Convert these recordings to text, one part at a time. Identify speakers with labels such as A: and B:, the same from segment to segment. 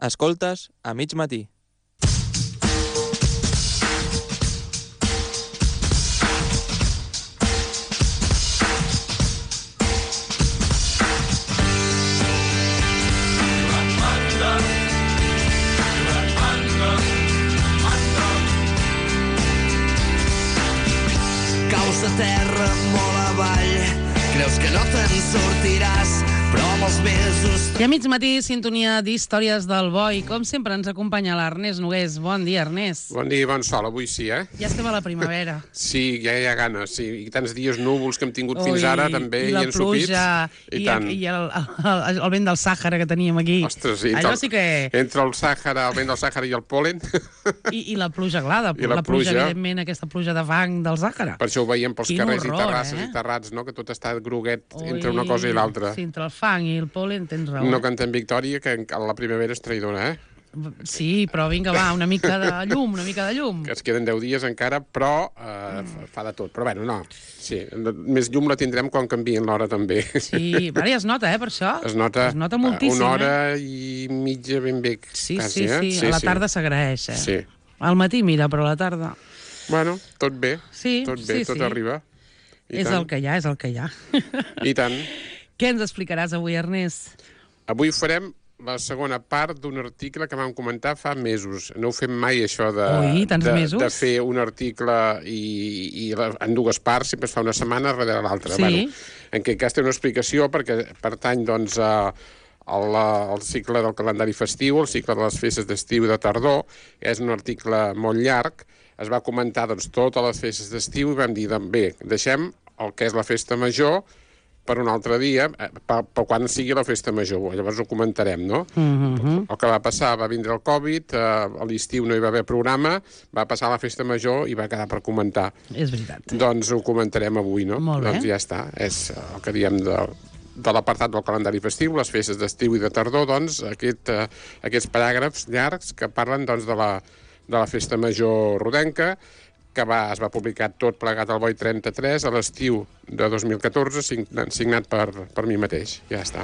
A: Escoltes a mig matí.
B: Caus a terra molt avall, creus que no te'n sortiràs, però amb els mesos...
C: I a mig matí, sintonia d'Històries del Boi. Com sempre ens acompanya l'Ernest Nogués. Bon dia, Ernest.
D: Bon dia i bon sol, avui sí, eh?
C: Ja estem a la primavera.
D: Sí, ja hi ha ganes, sí. I tants dies núvols que hem tingut fins ara, també, i ensopits.
C: I el vent del Sàhara que teníem aquí.
D: Ostres,
C: allò sí que...
D: Entre el Sàhara, el vent del Sàhara i el pol·len...
C: I la pluja glada,
D: la pluja,
C: evidentment, aquesta pluja de fang del Sàhara.
D: Per això ho veiem pels carrers
C: horror,
D: i terrasses i terrats, no? Que tot està groguet entre una cosa i l'altra.
C: Sí, entre el fang i el pol·len tens raó.
D: No cantem victòria, que la primavera és traïdora, eh?
C: Sí, però vinga, va, una mica de llum, una mica de llum.
D: Que es queden 10 dies encara, però fa de tot. Però bueno, no, sí, més llum la tindrem quan canvien l'hora també.
C: Sí, ara ja es nota, per això.
D: Es nota
C: moltíssim,
D: una hora i mitja ben bé.
C: Sí,
D: quasi,
C: sí, a la tarda s'agraeix, eh?
D: Sí.
C: Al matí, mira, però a la tarda...
D: Bueno, tot bé,
C: sí,
D: tot bé, tot arriba.
C: És el que hi ha, és el que hi ha.
D: I tant.
C: Què ens explicaràs avui, Ernest?
D: Avui farem la segona part d'un article que vam comentar fa mesos. No ho fem mai, això de fer un article i en dues parts, sempre es fa una setmana darrere l'altra.
C: Sí.
D: Bueno, en aquest cas té una explicació perquè pertany, doncs, al cicle del calendari festiu, el cicle de les festes d'estiu i de tardor. És un article molt llarg. Es va comentar, doncs, totes les festes d'estiu i vam dir, bé, deixem el que és la festa major per un altre dia, per quan sigui la festa major. Llavors ho comentarem, no? El que va passar, va vindre el Covid, a l'estiu no hi va haver programa, va passar la festa major i va quedar per comentar.
C: És veritat.
D: Doncs ho comentarem avui, no?
C: Molt bé.
D: Doncs ja està. És el que diem de l'apartat del calendari festiu, les festes d'estiu i de tardor, doncs, aquests paràgrafs llargs que parlen, doncs, de la festa major rodenca, que es va publicar tot plegat al Boi 33 a l'estiu de 2014, signat per mi mateix. Ja està.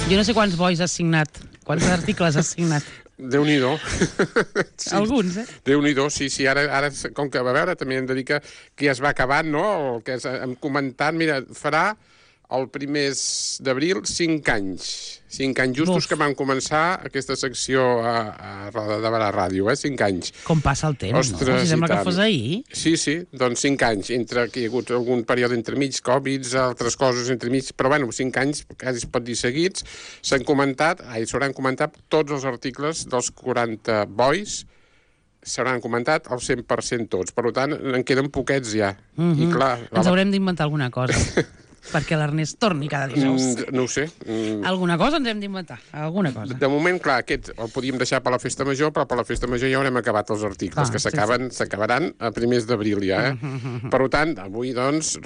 C: Jo no sé quants bois has signat, quants articles has signat.
D: Déu-n'hi-do.
C: Sí. Alguns, eh?
D: Déu-n'hi-do, sí. Ara, com que, a veure, també hem de dir que ja es va acabant, no? El que hem comentat, mira, farà el primers d'abril 5 anys. 5 anys justos que van començar aquesta secció a Roda de Barà Ràdio, 5 anys.
C: Com passa el temps,
D: ostres,
C: no? Si sembla que fos ahir.
D: Sí, doncs 5 anys, entre que hi ha hagut algun període entremig, Covid, altres coses entremig, però bueno, 5 anys, quasi es pot dir seguits, s'hauran comentat tots els articles dels 40 bois, s'hauran comentat el 100% tots. Per tant, en queden poquets ja. I clar,
C: ens haurem d'inventar alguna cosa. Perquè l'Ernest torni cada dijous.
D: No ho sé.
C: Alguna cosa ens hem d'inventar, alguna cosa.
D: De moment, clar, aquest el podíem deixar per la festa major, però per la festa major ja haurem acabat els articles, que s'acabaran a primers d'abril ja, Per tant, avui, doncs,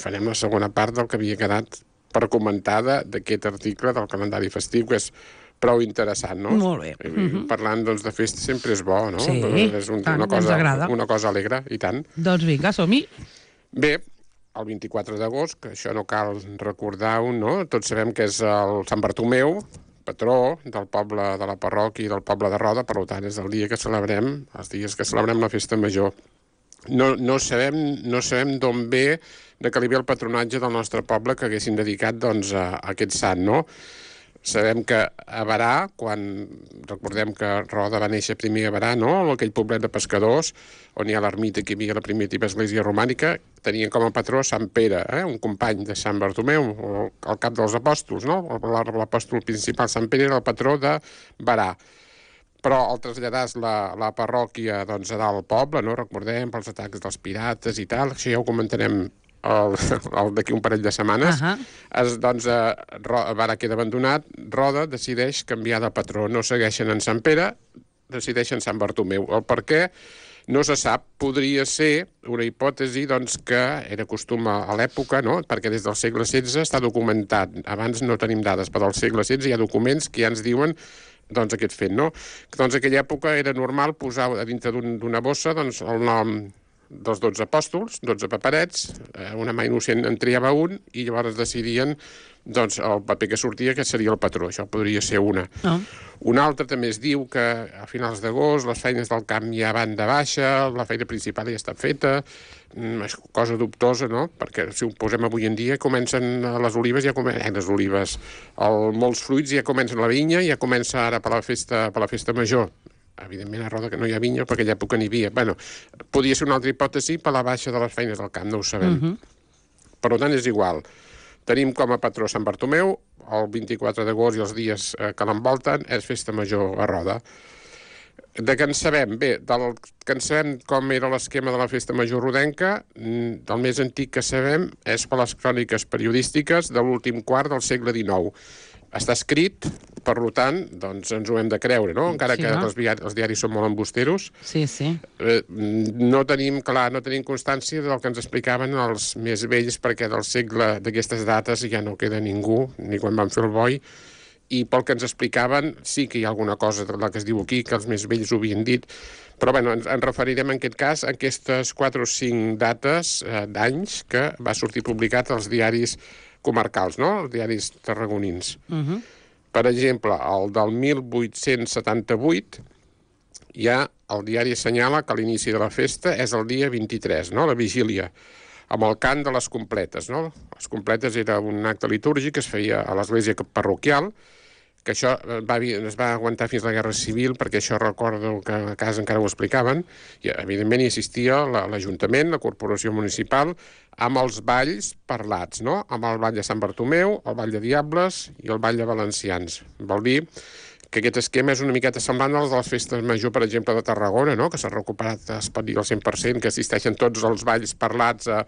D: farem la segona part del que havia quedat per comentar d'aquest article del calendari festiu, que és prou interessant, no?
C: Molt bé.
D: Parlant, doncs, de festa sempre és bo, no?
C: Sí,
D: és una cosa alegre, i tant.
C: Doncs vinga, som-hi.
D: Bé, el 24 d'agost, que això no cal recordar-ho, no? Tots sabem que és el Sant Bartomeu, patró del poble de la parròquia i del poble de Roda, per tant, és el dia que celebrem, els dies que celebrem la festa major. No sabem d'on ve, de que li ve el patronatge del nostre poble que haguessin dedicat, doncs, a aquest sant, no? Sabem que a Barà, recordem que Roda va néixer primer a Barà, no? Aquell poblet de pescadors, on hi ha l'ermita que hi havia la primitiva església romànica, tenien com a patró Sant Pere, un company de Sant Bartomeu, el cap dels apòstols, no? L'apòstol principal, Sant Pere, era el patró de Barà. Però al traslladar la parròquia, doncs, a dalt al poble, no? Recordem, pels atacs dels pirates i tal, això ja ho comentarem d'aquí un parell de setmanes, doncs Barà queda abandonat, Roda decideix canviar de patró, no segueixen en Sant Pere, decideixen Sant Bartomeu. El per què no se sap, podria ser una hipòtesi, doncs, que era costum a l'època, no? Perquè des del segle XVI està documentat, abans no tenim dades, però del segle XVI hi ha documents que ja ens diuen, doncs, aquest fet, no? Doncs en aquella època era normal posar a dintre d'una bossa, doncs, el nom dels 12 apòstols, 12 paperets, una mà innocent en triava un, i llavors decidien doncs el paper que sortia que seria el patró, això podria ser una.
C: No.
D: Una altra també es diu que a finals d'agost les feines del camp ja van de baixa, la feina principal ja està feta, és cosa dubtosa, no? Perquè si ho posem avui en dia, comencen les olives, molts fruits ja comencen la vinya, ja comença ara per la festa major. Evidentment a Roda que no hi ha vinya, perquè aquella època n'hi havia. Bueno, podria ser una altra hipòtesi per la baixa de les feines del camp, no ho sabem. Per tant, és igual. Tenim com a patró Sant Bartomeu, el 24 d'agost i els dies que l'envolten és festa major a Roda. De què en sabem? Bé, del que en sabem com era l'esquema de la festa major rodenca, del més antic que sabem és per les cròniques periodístiques de l'últim quart del segle XIX. Està escrit, per tant, doncs ens ho hem de creure, no? Encara que els diaris són molt embusteros.
C: Sí.
D: No tenim constància del que ens explicaven els més vells, perquè del segle d'aquestes dates ja no queda ningú, ni quan van fer el boi, i pel que ens explicaven sí que hi ha alguna cosa de la que es diu aquí, que els més vells ho havien dit, però bueno, ens referirem en aquest cas a aquestes 4 o 5 dates d'anys que va sortir publicat als diaris comarcals, no? Els diaris tarragonins. Per exemple, el del 1878, ja el diari assenyala que l'inici de la festa és el dia 23, no? La vigília, amb el cant de les completes, no? Les completes era un acte litúrgic que es feia a l'església parroquial, que això es va aguantar fins a la Guerra Civil, perquè això recordo que a casa encara ho explicaven, i evidentment hi assistia l'Ajuntament, la Corporació Municipal, amb els balls parlats, no? Amb el ball de Sant Bartomeu, el ball de Diables i el ball de Valencians. Vol dir que aquest esquema és una miqueta semblant als de les festes major, per exemple, de Tarragona, no? Que s'ha recuperat, es pot dir, al 100%, que assisteixen tots els balls parlats a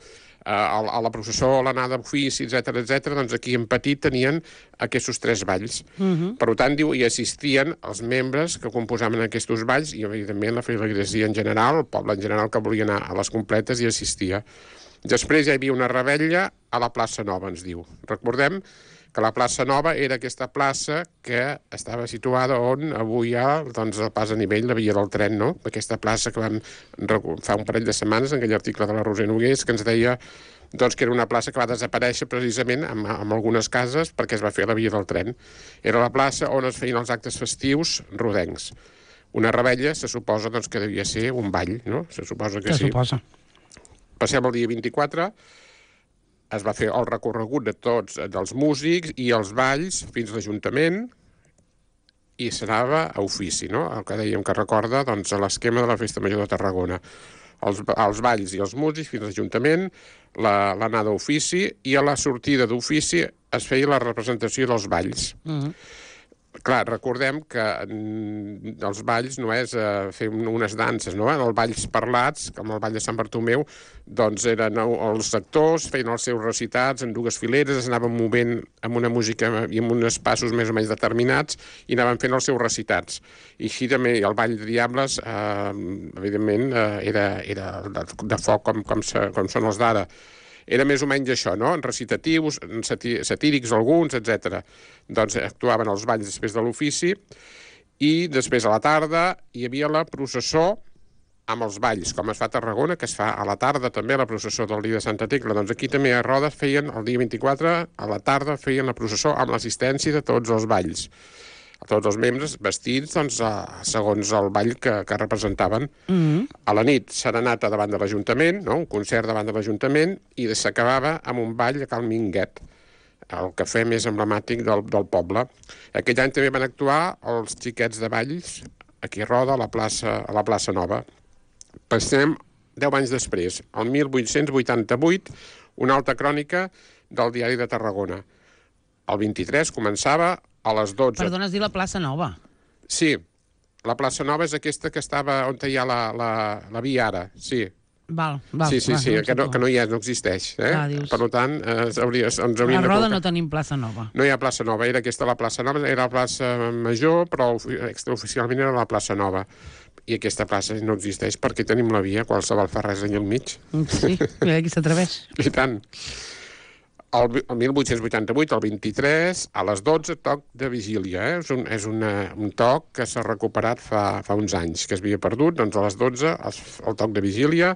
D: la processó, a l'anada d'ofici, etc. Doncs aquí en petit tenien aquests 3 balls. Per tant, diu, hi assistien els membres que composaven aquests balls i, evidentment, la feligresia en general, el poble en general que volia anar a les completes hi assistia. Després hi havia una revetlla a la plaça Nova, ens diu. Recordem que la plaça Nova era aquesta plaça que estava situada on avui hi ha doncs, el pas a nivell, la via del tren, no? Aquesta plaça que vam fa un parell de setmanes en aquell article de la Roser Nogués que ens deia doncs, que era una plaça que va desaparèixer precisament amb algunes cases perquè es va fer la via del tren. Era la plaça on es feien els actes festius rodencs. Una revetlla se suposa doncs, que devia ser un ball, no? Se suposa que sí. Passem al dia 24, es va fer el recorregut de tots, dels músics i els balls fins a l'Ajuntament i s'anava a ofici, no? El que dèiem que recorda doncs, l'esquema de la Festa Major de Tarragona. Els balls i els músics fins a l'Ajuntament, l'anada a ofici i a la sortida d'ofici es feia la representació dels balls. Clar, recordem que els balls no és fer unes danses, no? Els balls parlats, com el ball de Sant Bartomeu, doncs eren els actors, feien els seus recitats en 2 fileres, es anaven movent amb una música i amb uns passos més o menys determinats i anaven fent els seus recitats. I així també el ball de Diables, evidentment, era de foc com són els d'ara. Era més o menys això, no? Recitatius, satírics alguns, etc. Doncs actuaven els balls després de l'ofici i després a la tarda hi havia la processó amb els balls, com es fa a Tarragona, que es fa a la tarda també la processó del dia de Santa Tecla. Doncs aquí també a Roda feien, el dia 24, a la tarda feien la processó amb l'assistència de tots els balls. Tots els membres vestits doncs, segons el ball que representaven. A la nit, serenata davant de l'Ajuntament, no? Un concert davant de l'Ajuntament, i s'acabava amb un ball a Cal Minguet, el cafè més emblemàtic del poble. Aquell any també van actuar els xiquets de balls aquí a Roda, a la plaça Nova. Passem 10 anys després, el 1888, una altra crònica del Diari de Tarragona. El 23 començava a les 12.
C: Perdona, es diu la plaça Nova.
D: Sí, la plaça Nova és aquesta que estava on hi ha la via ara, sí.
C: Val,
D: sí, que no hi ha, no existeix. Per tant, ens hauríem de...
C: A Roda no tenim plaça Nova.
D: No hi ha plaça Nova, era aquesta la plaça Nova, era la plaça Major, però extraoficialment era la plaça Nova. I aquesta plaça no existeix perquè tenim la via, qualsevol fa res allà al mig.
C: Sí, mira qui s'atreveix.
D: I tant. El 1888, el 23, a les 12, toc de vigília. És un toc que s'ha recuperat fa uns anys, que es havia perdut. Doncs a les 12, el toc de vigília.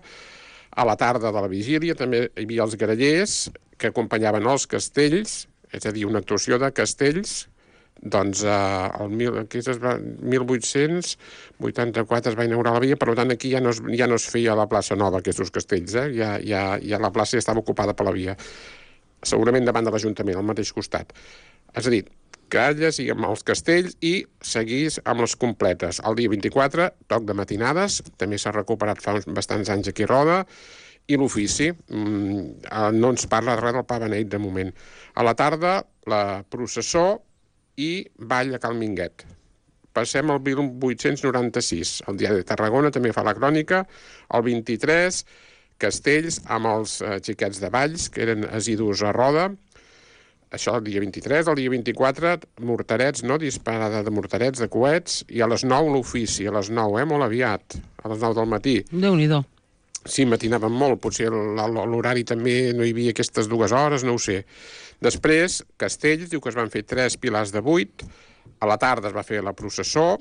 D: A la tarda de la vigília també hi havia els grallers que acompanyaven els castells, és a dir, una actuació de castells, doncs el 1884 es va inaugurar la via, per tant aquí ja no es feia la plaça Nova, aquests castells, ja la plaça ja estava ocupada per la via, segurament davant de l'Ajuntament, al mateix costat. És a dir, que llegíem els castells i seguís amb les completes. El dia 24, toc de matinades, també s'ha recuperat fa uns bastants anys aquí a Roda, i l'ofici. No ens parla res del pa beneit de moment. A la tarda, la processó i ball a Cal Minguet. Passem al 1896. El Diari de Tarragona també fa la crònica. El 23, castells amb els xiquets de Valls, que eren assidus a Roda. Això el dia 23, el dia 24, morterets, no? Disparada de morterets, de coets, i a les 9 l'ofici, a les 9, molt aviat, a les 9 del matí.
C: Déu-n'hi-do.
D: Sí, matinàvem molt, potser l'horari també no hi havia aquestes 2 hores, no ho sé. Després, castells, diu que es van fer 3 pilars de 8, a la tarda es va fer la processó,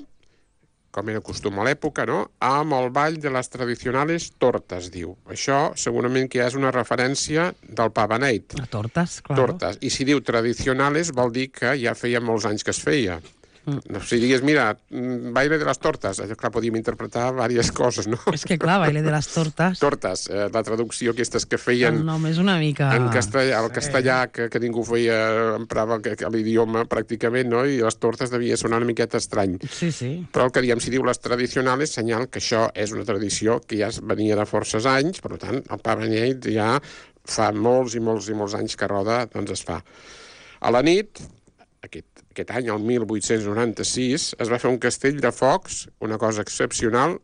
D: com era costum a l'època, no? Amb el ball de les tradicionals tortes, diu. Això segurament que ja és una referència del pa beneit.
C: A tortes, clar.
D: Tortes. I si diu tradicionales vol dir que ja feia molts anys que es feia. Si digués, mira, baile de les tortes, clar, podíem interpretar diverses coses, no? És
C: que clar, baile de les tortes.
D: Tortes, la traducció aquestes que feien...
C: El nom és una mica...
D: En castellà, el castellà, que ningú emprava l'idioma pràcticament, no? I les tortes devia sonar una miqueta estrany.
C: Sí, sí.
D: Però el que diem, si diu les tradicionals, senyal que això és una tradició que ja venia de forces anys, per tant, el pa beneit ja fa molts i molts i molts anys que a Roda doncs es fa. A la nit, aquest any, el 1896, es va fer un castell de focs, una cosa excepcional,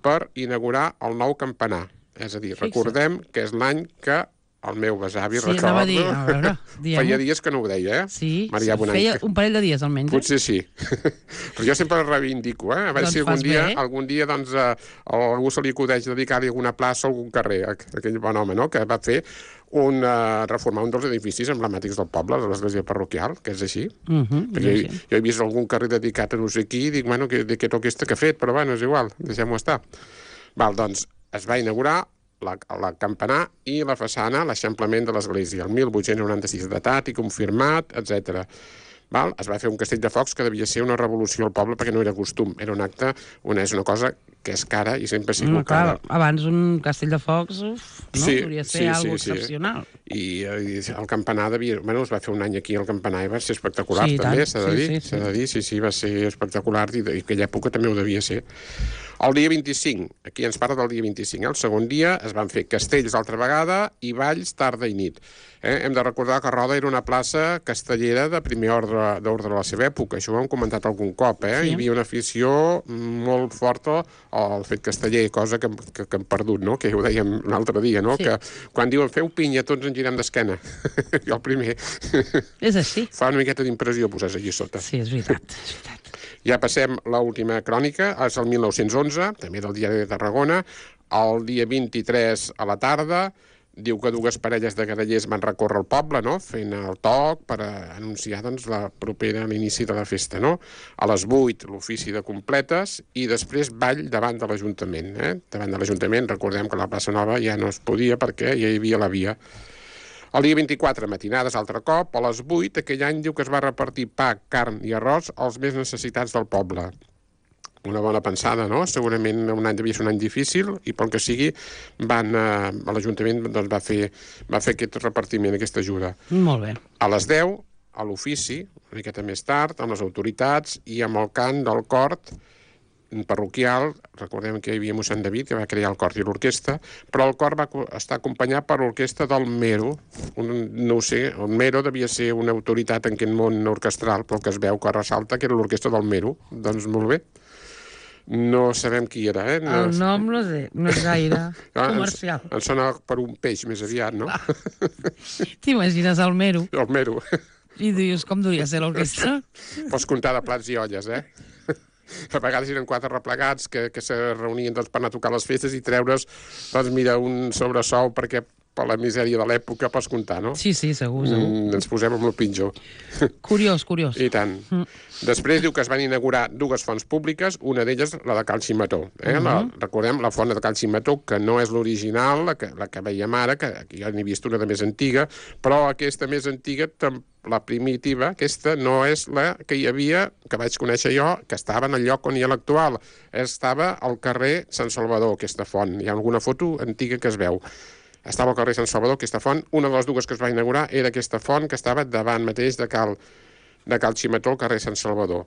D: per inaugurar el nou campanar. És a dir, recordem que és l'any que el meu besavi
C: recorda... Sí, a veure,
D: feia dies que no ho deia,
C: Sí, feia un parell de dies almenys.
D: Potser sí. Però jo sempre reivindico, a veure si algun dia doncs, a algú se li acudeix dedicar-li alguna plaça o algun carrer, aquell bon home, no?, que va fer reformar un dels edificis emblemàtics del poble, de l'església parroquial, que és així. Perquè jo he vist algun carrer dedicat a no sé qui i dic, bueno, de què toca que ha fet, però bueno, és igual, deixem-ho estar. Doncs es va inaugurar la campanar i la façana, l'eixamplament de l'església, el 1896, datat i confirmat, etc. Es va fer un castell de focs que devia ser una revolució al poble perquè no era costum, era un acte, és una cosa que és cara i sempre ha sigut cara.
C: Abans un castell de focs hauria ser algo excepcional.
D: I el campanar es va fer un any aquí al campanar i va ser espectacular també, s'ha de dir, sí, va ser espectacular i en aquella època també ho devia ser. El dia 25, aquí ens parla del dia 25, el segon dia es van fer castells altra vegada i balls tarda i nit. Hem de recordar que Roda era una plaça castellera de primer ordre de la seva època, això ho hem comentat algun cop, Hi havia una afició molt forta al fet casteller, cosa que hem perdut, no? Que ho dèiem l'altre dia, no? Que quan diuen feu pinya tots ens girem d'esquena, jo el primer.
C: És així.
D: Fa una miqueta d'impressió posar-se allí sota.
C: Sí, és veritat.
D: Ja passem l'última crònica, és el 1911, també del Diari de Tarragona, el dia 23 a la tarda, diu que 2 parelles de grallers van recórrer el poble, no?, fent el toc per anunciar doncs, l'inici de la festa, no? A les 8 l'ofici de completes i després ball davant de l'Ajuntament. Davant de l'Ajuntament, recordem que la plaça Nova ja no es podia perquè ja hi havia la via. El dia 24, matinades, altre cop, a les 8, aquell any diu que es va repartir pa, carn i arròs als més necessitats del poble. Una bona pensada, no? Segurament un any devia ser un any difícil i pel que sigui l'Ajuntament doncs, va fer aquest repartiment, aquesta ajuda.
C: Molt bé.
D: A les 10, a l'ofici, una miqueta més tard, amb les autoritats i amb el cant del cor parroquial, recordem que hi havia mossèn David, que va crear el cor i l'orquestra, però el cor va estar acompanyat per l'orquestra del Mero. No ho sé, el Mero devia ser una autoritat en aquest món orquestral, però el que es veu que ressalta que era l'orquestra del Mero. Doncs molt bé. No sabem qui era,
C: El nom no sé, no és gaire comercial.
D: Em sona per un peix més aviat, no?
C: T'imagines el Mero?
D: El Mero.
C: I dius, com duria ser l'orquestra?
D: Pots comptar de plats i olles, A vegades eren 4 replegats que se reunien doncs, per anar a tocar les festes i treure's, doncs mira, un sobresou perquè per la misèria de l'època, pots comptar, no?
C: Sí, segur.
D: Ens posem amb el pitjor.
C: Curiós.
D: I tant. Després diu que es van inaugurar dues fonts públiques, una d'elles la de Cal Ximetó. Recordem la font de Cal Ximetó, que no és l'original, la que veiem ara, que jo n'he vist una de més antiga, però aquesta més antiga, la primitiva, aquesta no és la que hi havia, que vaig conèixer jo, que estava en el lloc on hi ha l'actual. Estava al carrer Sant Salvador, aquesta font. Hi ha alguna foto antiga que es veu. Estava al carrer Sant Salvador, aquesta font. Una de les dues que es va inaugurar era aquesta font que estava davant mateix de Cal Ximetó, al carrer Sant Salvador.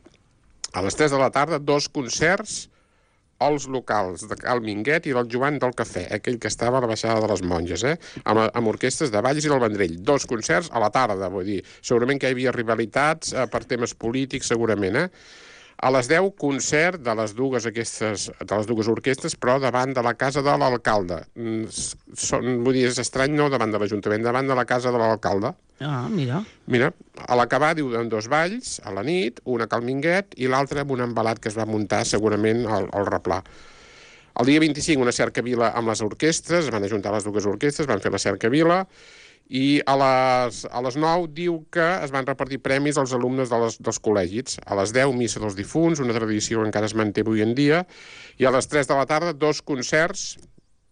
D: A les 3 de la tarda, 2 concerts als locals de Cal Minguet i del Joan del Cafè, aquell que estava a la baixada de les Monges, amb orquestres de Valls i del Vendrell. 2 concerts a la tarda, vull dir. Segurament que hi havia rivalitats per temes polítics, segurament, A les 10, concert de les dues orquestres, però davant de la casa de l'alcalde. Vull dir, és estrany, no davant de l'Ajuntament, davant de la casa de l'alcalde.
C: Ah, mira.
D: Mira, a l'acabar diuen 2 balls a la nit, una a Cal Minguet i l'altra amb un embalat que es va muntar segurament al replà. El dia 25 una cercavila amb les orquestres, es van ajuntar les dues orquestres, van fer la cercavila, i a les 9 diu que es van repartir premis als alumnes dels col·legis. A les 10, missa dels difunts, una tradició que encara es manté avui en dia, i a les 3 de la tarda 2 concerts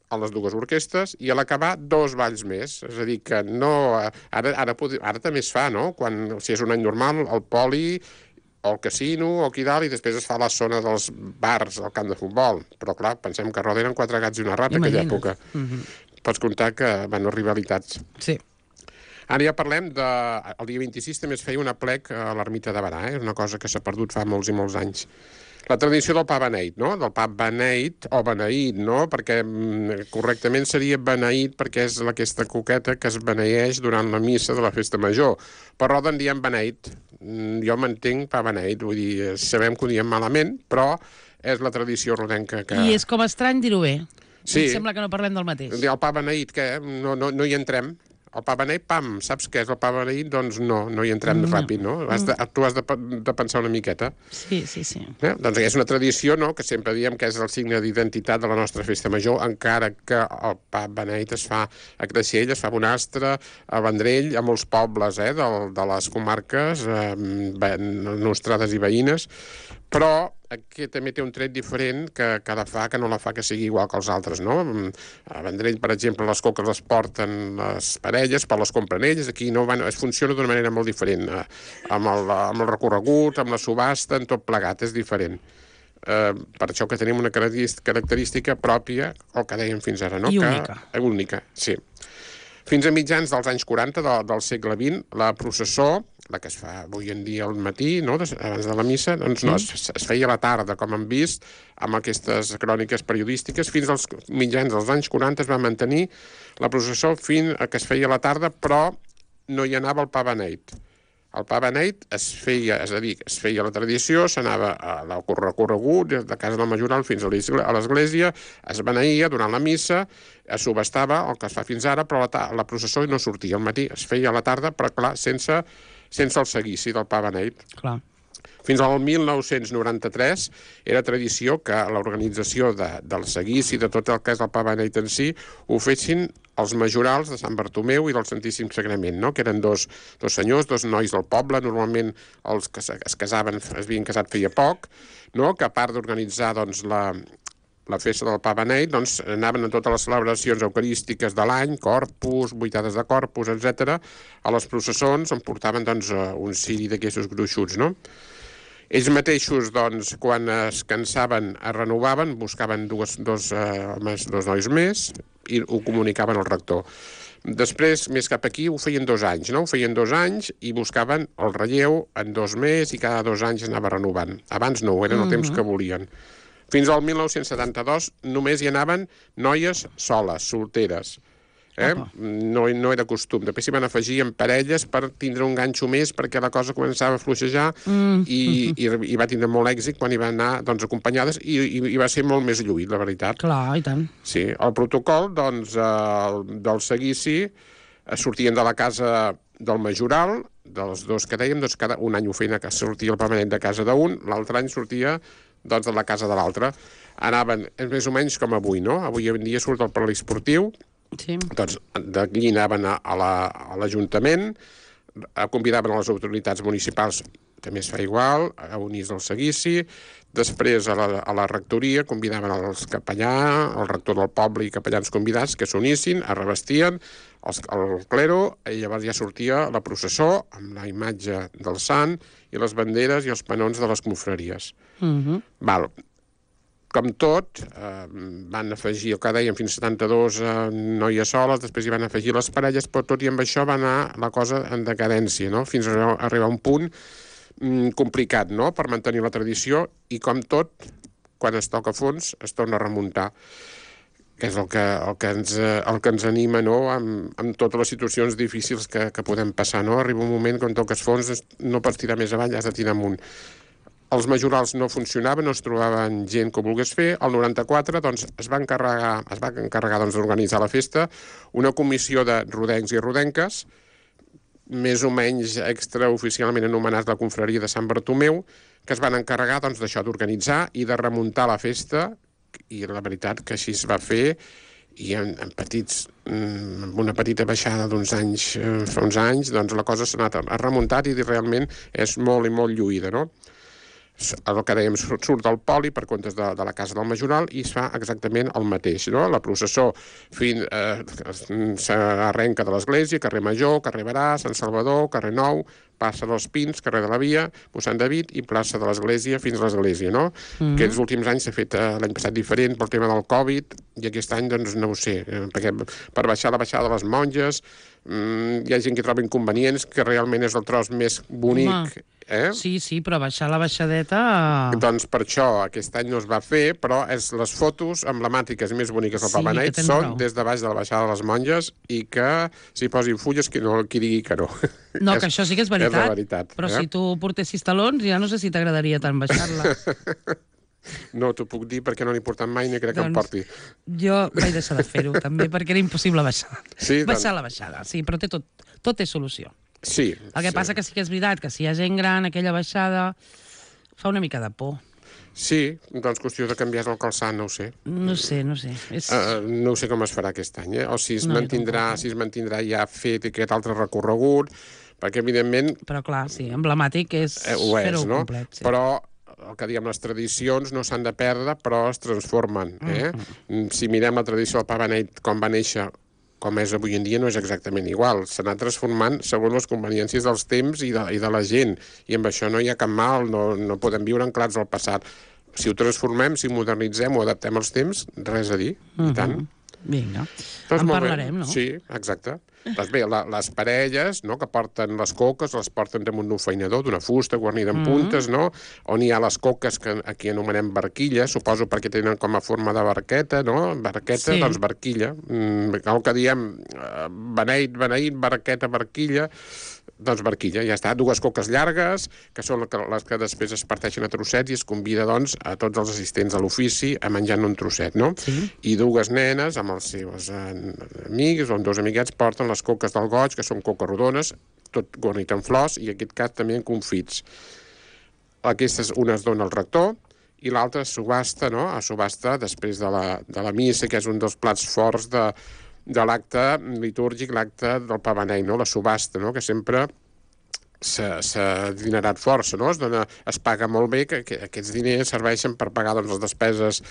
D: a les dues orquestres i a l'acabar 2 balls més. És a dir, que no... Ara també es fa, no? Si és un any normal, el poli o el casino o aquí dalt, i després es fa la zona dels bars al camp de futbol. Però, clar, pensem que a Roda eren 4 gats i una rata en aquella època. Pots comptar que van haver rivalitats.
C: Sí.
D: Ara ja parlem de... El dia 26 també es feia un aplec a l'ermita de Berà, és una cosa que s'ha perdut fa molts i molts anys. La tradició del pa beneït, no? Del pa beneït o beneït, no? Perquè correctament seria beneït perquè és aquesta coqueta que es beneeix durant la missa de la festa major. Per Roda en diem beneït. Jo m'entenc pa beneït, vull dir, sabem que ho diem malament, però és la tradició rodenca que...
C: I és com estrany dir-ho bé.
D: Sí.
C: Em sembla que no parlem del mateix.
D: El pa beneït, què? No hi entrem. El pa beneït, pam, saps què és el pa beneït? Doncs no hi entrem ràpid, no? Tu has de pensar una miqueta.
C: Sí.
D: Doncs és una tradició, no?, que sempre diem que és el signe d'identitat de la nostra festa major, encara que el pa beneït es fa a Creixell, es fa a Bonastre, a Vendrell, a molts pobles de les comarques nostrades i veïnes, però aquí també té un tret diferent que no la fa que sigui igual que els altres, no? A Vendrell, per exemple, les coques les porten les parelles, però les compren ells. Aquí no es funciona d'una manera molt diferent, amb el recorregut, amb la subhasta, en tot plegat, és diferent. Per això que tenim una característica pròpia, el que dèiem fins ara, no?
C: I única.
D: Única, sí. Fins a mitjans dels anys 40 del segle XX, la processó, la que es fa avui en dia al matí, no?, abans de la missa, doncs no, es feia a la tarda, com hem vist, amb aquestes cròniques periodístiques. Fins als mitjans dels anys 40 es va mantenir la processó fins a que es feia a la tarda, però no hi anava el pa beneït. El pa beneït es feia la tradició, s'anava al recorregut de casa del Majoral fins a l'església, es beneïa durant la missa, es subhastava el que es fa fins ara, però la processó no sortia al matí, es feia a la tarda, però clar, sense el seguici del pa beneït.
C: Clar.
D: Fins al 1993 era tradició que l'organització del seguici, de tot el que és el pa beneït en si, ho fessin els majorals de Sant Bartomeu i del Santíssim Sagrament, no?, que eren dos senyors, 2 nois del poble, normalment els que es casaven, es havien casat feia poc, no?, que a part d'organitzar doncs, la festa del pa beneït, doncs anaven a totes les celebracions eucarístiques de l'any, corpus, vuitades de corpus, etc. A les processons en portaven doncs, un ciri d'aquestos gruixuts, no? Ells mateixos, doncs, quan es cansaven, es renovaven, buscaven dos nois més i ho comunicaven al rector. Després, més cap aquí, ho feien 2 anys, no? Ho feien 2 anys i buscaven el relleu en 2 més i cada 2 anys anava renovant. Abans no, eren el temps que volien. Fins al 1972 només hi anaven noies soles, solteres. No era costum. Després s'hi van afegir en parelles per tindre un ganxo més perquè la cosa començava a fluixejar i va tindre molt èxit quan hi van anar doncs, acompanyades i va ser molt més lluït, la veritat.
C: Clar, i tant.
D: Sí, el protocol doncs, del seguici sortien de la casa del Majoral, dels 2 que dèiem, doncs cada un any ho feien que sortia el pa beneït de casa d'un, l'altre any sortia doncs, de la casa de l'altre. Anaven més o menys com avui, no? Avui en dia surt el poliesportiu,
C: Sí.
D: Doncs d'aquí anaven a l'Ajuntament, convidaven a les autoritats municipals, també es fa igual, a unir-se al seguici. Després a la rectoria convidaven els capellà, el rector del poble i capellans convidats que s'unissin, es revestien el clero, i llavors ja sortia la processó amb la imatge del sant i les banderes i els panons de les confraries. Val. Com tot, van afegir, el que dèiem, fins a 72 noies soles, després hi van afegir les parelles, però tot i amb això va anar la cosa en decadència, no? Fins a arribar a un punt complicat, no?, per mantenir la tradició, i com tot, quan es toca fons, es torna a remuntar, que és el que ens anima, no?, amb totes les situacions difícils que podem passar, no? Arriba un moment quan toques fons, no pots tirar més avall, has de tirar amunt. Els majorals no funcionaven, no es trobaven gent que ho volgués fer. El 94 doncs, es va encarregar doncs, d'organitzar la festa una comissió de rodencs i rodenques, més o menys extraoficialment anomenats la confraria de Sant Bartomeu, que es van encarregar doncs, d'això, d'organitzar i de remuntar la festa, i la veritat que així es va fer, i amb una petita baixada d'uns anys, fa uns anys, doncs la cosa s'ha anat remuntat i realment és molt i molt lluïda, no? El que dèiem, surt del poli per comptes de la casa del majoral i es fa exactament el mateix, no? La processó s'arrenca de l'església, carrer Major, carrer Barà, Sant Salvador, carrer Nou, plaça dels Pins, carrer de la Via, mossèn David i plaça de l'església fins a l'església, no? Aquests últims anys s'ha fet l'any passat diferent pel tema del Covid i aquest any, doncs, no ho sé, perquè per baixar la baixada de les monges hi ha gent que troba inconvenients, que realment és el tros més bonic.
C: Sí, però baixar la baixadeta...
D: Doncs per això aquest any no es va fer, però les fotos emblemàtiques més boniques del Papa Benet són des de baix de la baixada de les monges i que s'hi posin fulles qui digui que no.
C: No, que això sí que és veritat.
D: És la veritat.
C: Però si tu portessis talons ja no sé si t'agradaria tant baixar-la.
D: No t'ho puc dir perquè no n'he portat mai ni crec que em porti.
C: Jo vaig deixar de fer-ho també perquè era impossible baixar. Baixar la baixada, sí, però tot té solució.
D: Sí.
C: El que passa que sí que és veritat que si hi ha gent gran, aquella baixada fa una mica de por.
D: Sí, doncs qüestió de canviar el calçat, no ho sé.
C: No sé.
D: No ho sé com es farà aquest any, o si es mantindrà ja fet aquest altre recorregut, perquè evidentment...
C: Però clar, sí, emblemàtic és fer-ho complet. Sí.
D: Però el que diem, les tradicions no s'han de perdre, però es transformen. Si mirem la tradició del Papa Benet com va néixer, com és avui en dia, no és exactament igual. S'ha anat transformant segons les conveniències dels temps i de la gent. I amb això no hi ha cap mal, no podem viure anclats al passat. Si ho transformem, si modernitzem o adaptem als temps, res a dir, i tant.
C: Vinga, en parlarem, no?
D: Sí, exacte. Doncs bé, les parelles, no?, que porten les coques, les porten damunt d'un feinador, d'una fusta guarnida amb puntes, no?, on hi ha les coques que aquí anomenem barquilla, suposo perquè tenen com a forma de barqueta, no?, barqueta, doncs barquilla. El que diem, beneït, barqueta, barquilla, doncs barquilla, ja està. Dues coques llargues, que són les que després es parteixen a trossets i es convida, doncs, a tots els assistents a l'ofici a menjar un trosset, no?
C: Sí.
D: I dues nenes, amb els seus amics o amb dos amiguets, porten les coques del goig, que són coques rodones, tot guarnit amb flors, i en aquest cas també en confits. Aquestes, una es dona al rector, i l'altra es subhasta, no?, a subhasta després de la missa, que és un dels plats forts de l'acte litúrgic, l'acte del Papa Benet, no?, la subhasta, no?, que sempre s'ha dinerat força, no?, es paga molt bé, que aquests diners serveixen per pagar, doncs, les despeses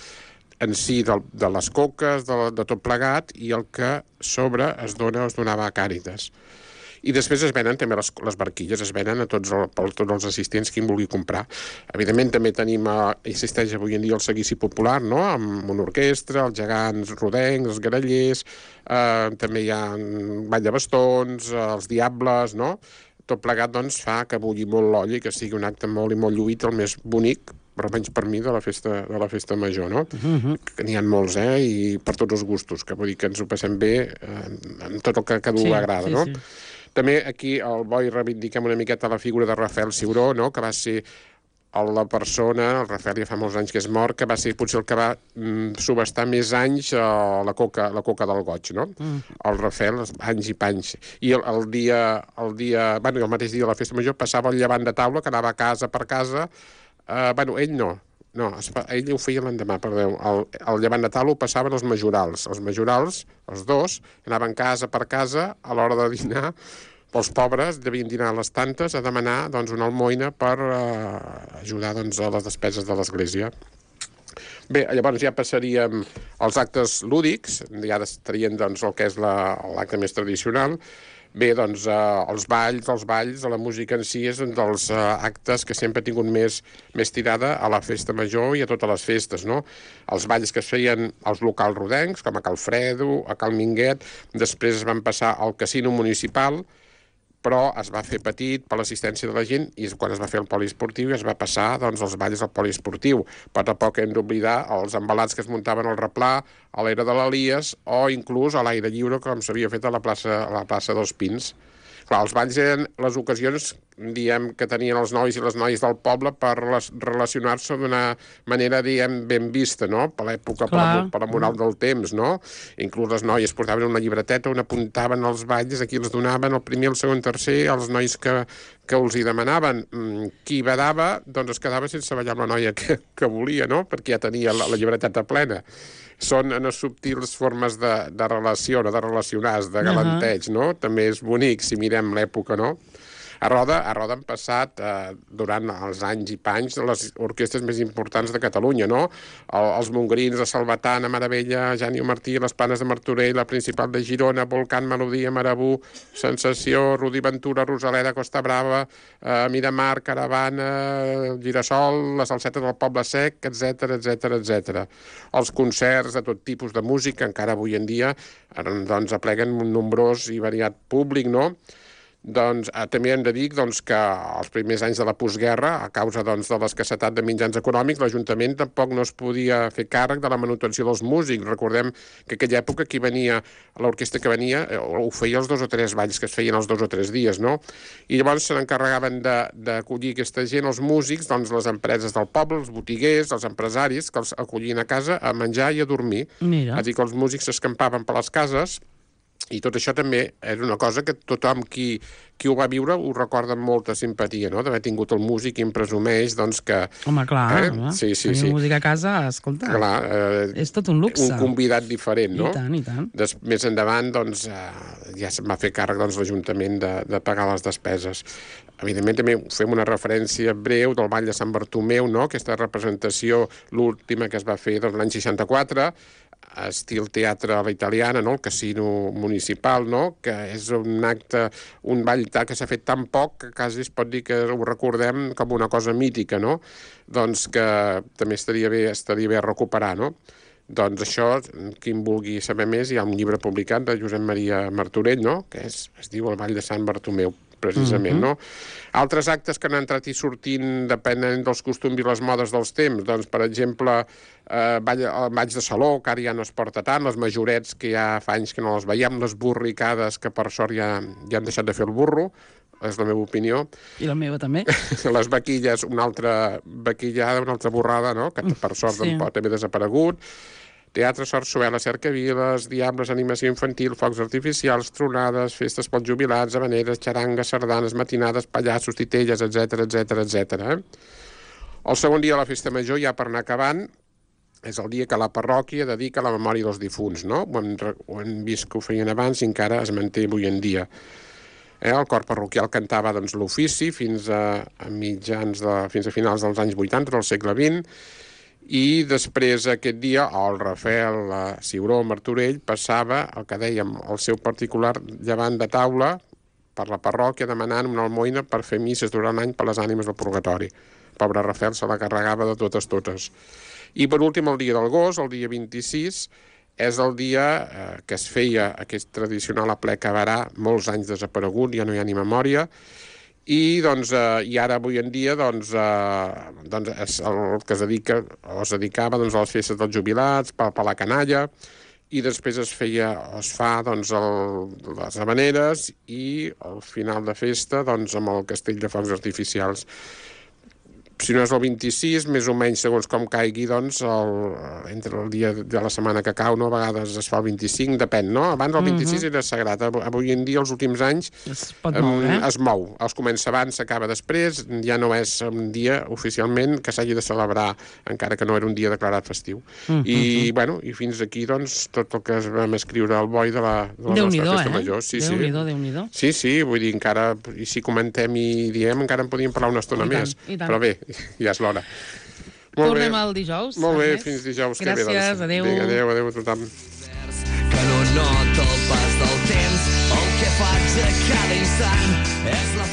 D: en si de les coques, de tot plegat, i el que es donava a Càritas. I després es venen també les barquilles, es venen a tots els assistents qui en vulgui comprar. Evidentment també existeix avui en dia el seguici popular, no?, amb una orquestra, els gegants rodencs, els grallers, també hi ha ball de bastons, els diables, no? Tot plegat, doncs, fa que bulli molt l'olla i que sigui un acte molt i molt lluït, el més bonic, però menys per mi, de la festa major, no? Que n'hi ha molts, i per tots els gustos, que vull dir que ens ho passem bé amb tot el que a dur agrada, no? També aquí al Boi reivindiquem una miqueta la figura de Rafael Ciuró, no?, que va ser la persona, el Rafael ja fa molts anys que és mort, que va ser potser el que va subhastar més anys la coca del goig, no? El Rafael, anys i panys. I el mateix dia de la festa major passava el llevant de taula, que anava casa per casa. Ell no. No, ell ho feia l'endemà, perdó. El llevant Natal ho passaven els majorals. Els majorals, els dos, anaven casa per casa a l'hora de dinar. Els pobres devien dinar a les tantes a demanar doncs, una almoina per ajudar doncs, a les despeses de l'església. Bé, llavors ja passaríem als actes lúdics, ja estarien doncs, el que és l'acte més tradicional. Bé, doncs, els balls, la música en si és un dels actes que sempre ha tingut més tirada a la festa major i a totes les festes, no? Els balls que es feien als locals rodencs, com a Cal Fredo, a Cal Minguet, després es van passar al casino municipal, però es va fer petit per l'assistència de la gent i quan es va fer el poliesportiu es va passar doncs, els balls al poliesportiu. Per tampoc hem d'oblidar els embalats que es muntaven al replà, a l'era de l'Elies o inclús a l'aire lliure com s'havia fet a la plaça dels Pins. Clar, els balls eren les ocasions, diem, que tenien els nois i les noies del poble per relacionar-se d'una manera, diem, ben vista, no?, per l'època, per la moral del temps, no? Inclús les noies portaven una llibreteta on apuntaven els balls, aquí els donaven el primer, el segon, tercer, als nois que els hi demanaven. Qui badava, doncs es quedava sense ballar amb la noia que volia, no?, perquè ja tenia la llibreteta plena. Són unes subtils formes de relació, de relacionar-se, de galanteig, no? També és bonic, si mirem l'època, no? A Roda han passat, durant els anys i panys, les orquestres més importants de Catalunya, no? Els Montgrins de Salvatana, Maravella, Jani Martí, les Planes de Martorell, la Principal de Girona, Volcán, Melodia, Marabú, Sensació, Rudi Ventura, Rosaleda, Costa Brava, Miramar, Caravana, Girasol, les Salsetes del Poble Sec, etc. Els concerts de tot tipus de música, encara avui en dia, doncs apleguen un nombrós i variat públic, no? Doncs també hem de dir doncs, que els primers anys de la postguerra, a causa doncs, de l'escassetat de mitjans econòmics, l'Ajuntament tampoc no es podia fer càrrec de la manutenció dels músics. Recordem que aquella època qui venia, l'orquestra que venia, ho feia els 2 o 3 balls que es feien els 2 o 3 dies, no? I llavors se n'encarregaven d'acollir aquesta gent, els músics, doncs les empreses del poble, els botiguers, els empresaris, que els acollien a casa a menjar i a dormir.
C: Mira.
D: És a dir, que els músics s'escampaven per les cases. I tot això també és una cosa que tothom qui ho va viure ho recorda amb molta simpatia, no?, d'haver tingut el músic i em presumeix, doncs, que...
C: Home, clar, home.
D: Sí.
C: Tenir música a casa, escolta, clar, és tot un luxe.
D: Un convidat diferent, no?
C: I tant.
D: Més endavant, doncs, ja se'n va fer càrrec doncs, l'Ajuntament de pagar les despeses. Evidentment, també fem una referència breu del Ball de Sant Bartomeu, no?, aquesta representació, l'última que es va fer doncs, l'any 64, estil teatre a la italiana, no?, el casino municipal, no?, que és un acte, un ball que s'ha fet tan poc que quasi es pot dir que ho recordem com una cosa mítica, no?, doncs que també estaria bé recuperar, no? Doncs això, qui en vulgui saber més, hi ha un llibre publicat de Josep Maria Martorell, no?, que es diu El Ball de Sant Bartomeu, precisament, no? Altres actes que han entrat i sortint depenent dels costums i les modes dels temps, doncs, per exemple, el ball de saló, que ara ja no es porta tant, les majorets, que ja fa anys que no les veiem, les borricades, que per sort ja han deixat de fer el burro, és la meva opinió.
C: I la meva també.
D: Les vaquilles, una altra vaquillada, una altra borrada, no?, que per sort també ha desaparegut. Teatre, sarsuela, cercaviles, diables, animació infantil, focs artificials, tronades, festes pels jubilats, habaneres, xarangues, sardanes, matinades, pallassos, titelles, etc. El segon dia de la festa major, ja per anar acabant, és el dia que la parròquia dedica a la memòria dels difunts, no? Ho hem vist que ho feien abans i encara es manté avui en dia. El cor parroquial cantava doncs, l'ofici fins a finals dels anys 80 del segle XX, i després aquest dia el Rafael Ciuró Martorell passava el que dèiem, el seu particular llevant de taula per la parròquia demanant una almoina per fer misses durant l'any per les ànimes del purgatori. Pobre Rafael se la carregava de totes. I per últim el dia del gos, el dia 26, és el dia que es feia aquest tradicional aplec a Barà, molts anys desaparegut, ja no hi ha ni memòria, i ara avui en dia és el que es dedicava a les festes dels jubilats, per la canalla, i després es fa les habaneres i al final de festa amb el castell de focs artificials. si no és el 26, més o menys segons com caigui, doncs, entre el dia de la setmana que cau, no? A vegades es fa el 25, depèn, no? Abans el 26 era sagrat. Avui en dia, els últims anys, es mou. Es comença abans, s'acaba després, ja no és un dia oficialment que s'hagi de celebrar, encara que no era un dia declarat festiu. I, bueno, i fins aquí, doncs, tot el que es vam escriure al boi de la nostra festa major.
C: Déu-n'hi-do.
D: Sí, vull dir, encara, i si comentem i diem, encara en podíem parlar una estona més. Però bé, ja és l'hora.
C: Tornem el dijous.
D: Molt bé, fins dijous.
C: Gràcies, adéu.
D: Adéu a tothom.
B: Que no nota el pas del temps, el que faig a cada instant és la